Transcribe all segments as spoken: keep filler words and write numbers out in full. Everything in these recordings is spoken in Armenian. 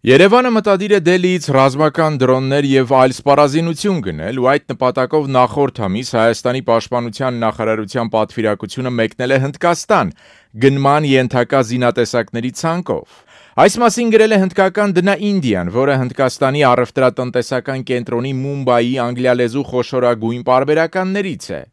Երևանը մտադիր է Դելիից ռազմական դրոններ եւ այլ սպառազինություն գնել ու այդ նպատակով նախորդ ամիս Հայաստանի պաշտպանության նախարարության պատվիրակությունը մեկնել է Հնդկաստան գնման ենթակա զինատեսակների ցանկով։ Այս մասին գրել է հնդկական դնա Ինդիան, որը Հնդկաստանի առևտրատնտեսական կենտրոնի Մումբայի անգլիալեզու խոշորագույն պարբերականներից է։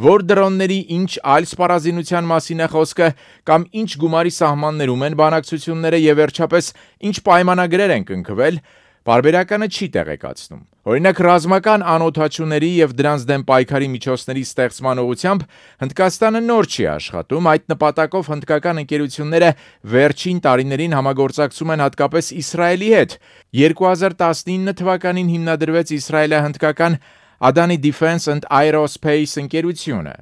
Որ դրոնների ինչ այլ սպառազինության մասին է խոսքը կամ ինչ գումարի սահմաններում են բանակցությունները եւ վերջապես ինչ պայմանագրեր են կնքվել, պարբերականը չի տեղեկացնում։ Օրինակ ռազմական անօթաչուների եւ դրանց դեմ պայքարի միջոցների ստեղծման ուղղությամբ Հնդկաստանը նոր չի աշխատում, այդ նպատակով հնդկական ընկերությունները վերջին տարիներին համագործակցում են հատկապես Իսրայելի հետ։ երկու հազար տասնինը թվականին հիմնադրվեց իսրայելահնդկական Adani Defense and Aerospace ընկերությունը։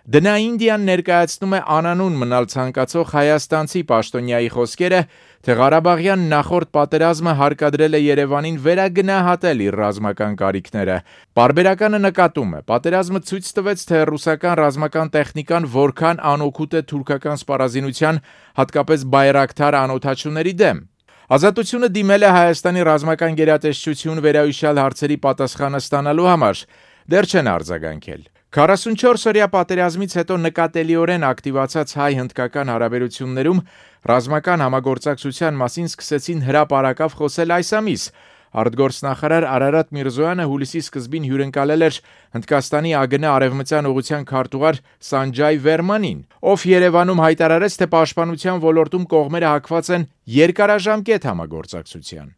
Դնա Ինդիան ներկայացնում է անանուն մնալ ցանկացող հայաստանցի պաշտոնյայի խոսքերը, թե Ղարաբաղյան նախորդ պատերազմը հարկադրել է Երևանին վերագնահատել իր ռազմական կարիքները։ Պարբերականը նկատում է, պատերազմը ցույց տվեց, թե ռուսական ռազմական տեխնիկան որքան անօգուտ է թուրքական սպառազինության, հատկապես բայրակթար անօթաչուների դեմ։ Ազատությունը դիմել է Հայաստանի ռազմական գերատեսչություն վերահիշյալ հարցերի պատասխանը ստանալու համար, դեռ չեն արձագանքել։ քառասունչորս օրյա պատերազմից հետո նկատելիորեն ակտիվացած հայ-հնդկական հարաբերություններում ռազմական համագործակցության մասին սկսեցին հրապարակավ խոսել այս ամիս։ Արտգործնախարար Արարատ Միրզոյանը հուլիսի սկզբին հյուրընկալել էր Հնդկաստանի ԱԳՆ արևմտյան ուղղության քարտուղար Սանջայ Վերմանին, ով Երևանում հայտարարեց, թե պաշտպանության ոլորտում կողմերը հակված են երկարաժամկետ համագործակցության։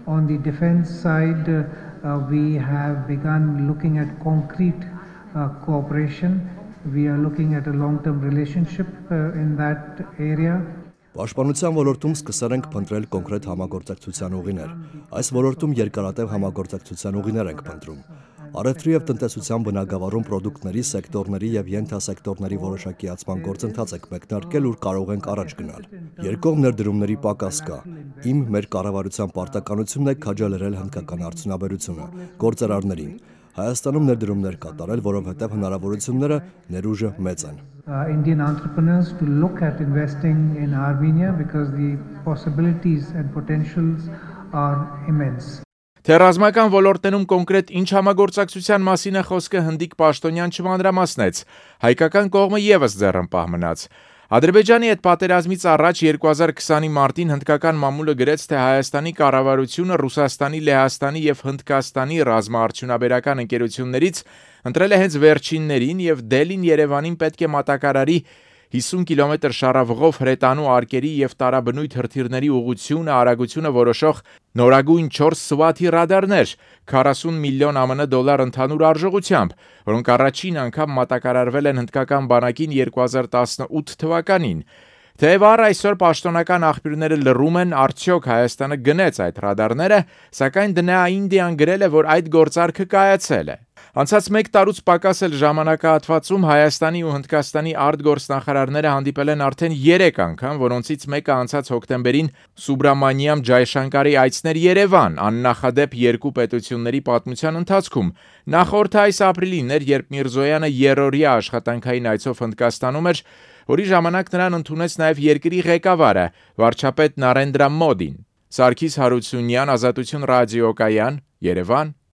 On the defense side, uh, we have begun looking at concrete uh, cooperation. We are looking at a long-term relationship uh, in that area. Պաշտպանության ոլորտում սկսել ենք փնտրել կոնկրետ համագործակցության ուղիներ։ Այս ոլորտում երկարատև համագործակցության ուղիներ ենք փնտրում։ Առևտրի եւ տնտեսության բնագավառում պրոդուկտների, սեկտորների եւ ենթասեկտորների որոշակիացման գործընթաց եք մեկնարկել, ուր կարող ենք առաջ գնալ։ Երկկողմ ներդրումների պակաս կա։ Իմ մեր կառավարության պարտականությունն է քաջալերել հնդկական արդյունաբերությունը, գործարարներին։ Հայաստանում ներդրումներ կատարել, որովհետև հնարավորությունները ներուժը մեծ են։ Indian entrepreneurs to look at investing in Armenia because the possibilities and potentials are immense. Թե ռազմական ոլորտներում կոնկրետ ինչ համագործակցության մասին է խոսքը հնդիկ պաշտոնյան չմանրամասնեց, հայկական կողմը եւս ձեռնպահ մնաց։ Ադրբեջանի հետ պատերազմից առաջ երկու հազար քսանի մարտին հնդկական մամուլը գրեց, թե Հայաստանի կառավարությունը Ռուսաստանի, Լեհաստանի եւ Հնդկաստանի ռազմաարդյունաբերական ընկերություններից ընտրել է հենց վերջիններին եւ Դելին Երևանին պետք է մատակարարի հիսուն կիլոմետր շարավղով հրետանու արկերի եւ տարաբնույթ հրթիռների ուղղությունը, արագությունը որոշող նորագույն չորս Սվաթի ռադարներ, քառասուն միլիոն ԱՄՆ դոլար ընդհանուր արժողությամբ, որոնք առաջին անգամ մատակարարվել են հնդկական բանակին երկու հազար տասնութ թվականին։ Թեև առ այսօր պաշտոնական աղբյուրները լռում են, արդյոք Հայաստանը գնեց այդ ռադարները, սակայն դնա Ինդիան գրել է, որ այդ գործարքը կայացել է։ Անցած մեկ տարուց պակաս էլ ժամանակահատվածում Հայաստանի ու Հնդկաստանի արտգործնախարարները հանդիպել են արդեն երեք անգամ, որոնցից մեկը անցած հոկտեմբերին Սուբրամանիամ Ջայշանկարի այցներ Երևան, աննախադեպ երկու պետությունների պատմության ընթացքում։ Նախորդ այս ապրիլին էր, երբ Միրզոյանը երրորդյա աշխատանքային այցով Հնդկաստանում էր, որի ժամանակ նրան ընդունեց նաև երկրի ղեկավարը, վարչապետ Նարենդրա Մոդին։ Սարգիս Հարությունյան, Ազատություն ռադիոկայան, Երևան։